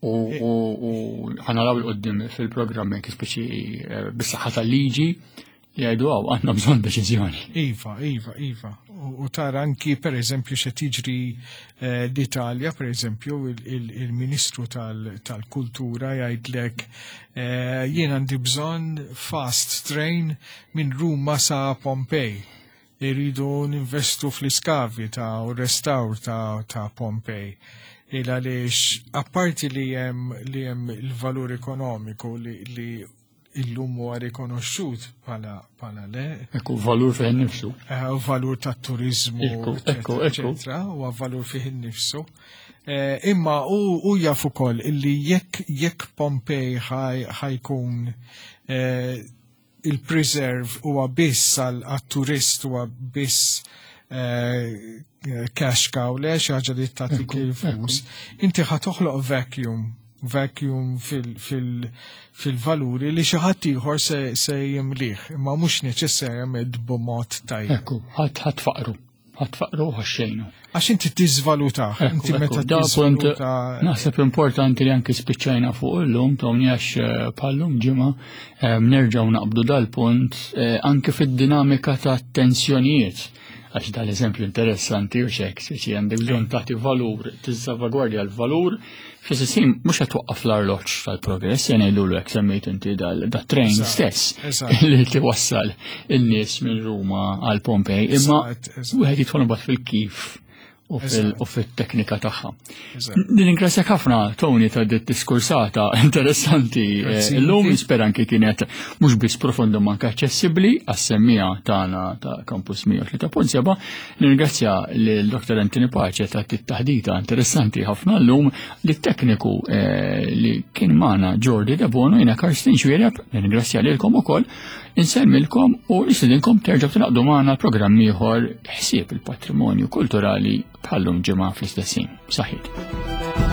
u u- u ħa naraw 'il quddiem fil-programm anke speċi eh, bis-saħħa tal-liġi jgħidu għaw għandna bżonn deċiżjoni. Iva, Iva, Iva. U, u tara anki per eżempju xe tiġri eh, l-Italja, per eżempju, il- il- il-Ministru tal- tal-Kultura jgħidlek eh, jien għandi bżonn fast train minn Ruma sa Pompej. Iridu ninvestu fl-iskavi ta' u restawr ta', ta' Pompej. Il għaliex, apparti li hemm li hemm il-valur ekonomiku li, li illum huwa rikonoxxut bħala bħala le, Ekku valur fih innifsu. eh, u valur ta' turizmu, Ekku, ekku, ekku. eccetera, huwa valur fih innifsu. Eh, Imma u, u jaf ukoll illi jekk jekk Pompej ħaj- ħajkun eh, il-preserve huwa biss għal għat-turist huwa biss eh, cash cow le xi ħaġa li tagħtik il-flus, inti ħa toħloq vacuum vacuum fil- fil-valuri li xi ħadd ieħor se, se jimlih, imma mhux neċessarjament b'mod tajjeb. Ekku, ħadd ħadd faqru. Ħa tfaqqru ħa xxejnu. Għax inti tiżvaluta, inti meta tiżvaluta. Naħseb importanti li anki spiċċajna fuq illum, Tony, għax eh, bħal-lum ġimgħa eh, nerġgħu naqbdu dal-punt eh, anke fid-dinamika ta' tensjonijiet. Għax dal-eżempju interessanti u xek, speċi għandek bżonn tagħti valur, tissalvagwardja l-valur, fl-istess mhux qed twaqqaf l-arloġġ tal-progress, jien ngħidulu hekk, semmejt inti dat-train stess li tiwassal in-nies minn Ruma għal Pompej, imma wieħed jidħol mbagħad fil-kif u fit-teknika tagħha. Nirringrazzjak ħafna, Tony, ta' dit diskursata interessanti eh, illum, nispera anki kienet mhux biss profondu ma anke aċċessibbli għas-semmiegħa tagħna ta' Campus mija u tlieta punt seba'. Nirringrazzja lil Dottor Anthony Pace ta' taħdita interessanti ħafna llum, li tekniku eh, li kien magħna Jordi Debono, jiena Karsten Xwiereb, nirringrazzja lilkom ukoll, insellmilkom u nistedinkom terġgħu tingħaqdu magħna programm ieħor, Ħsieb il-Patrimonju Kulturali, bħal-lum ġimgħa fl-istess ħin. Saħħiet.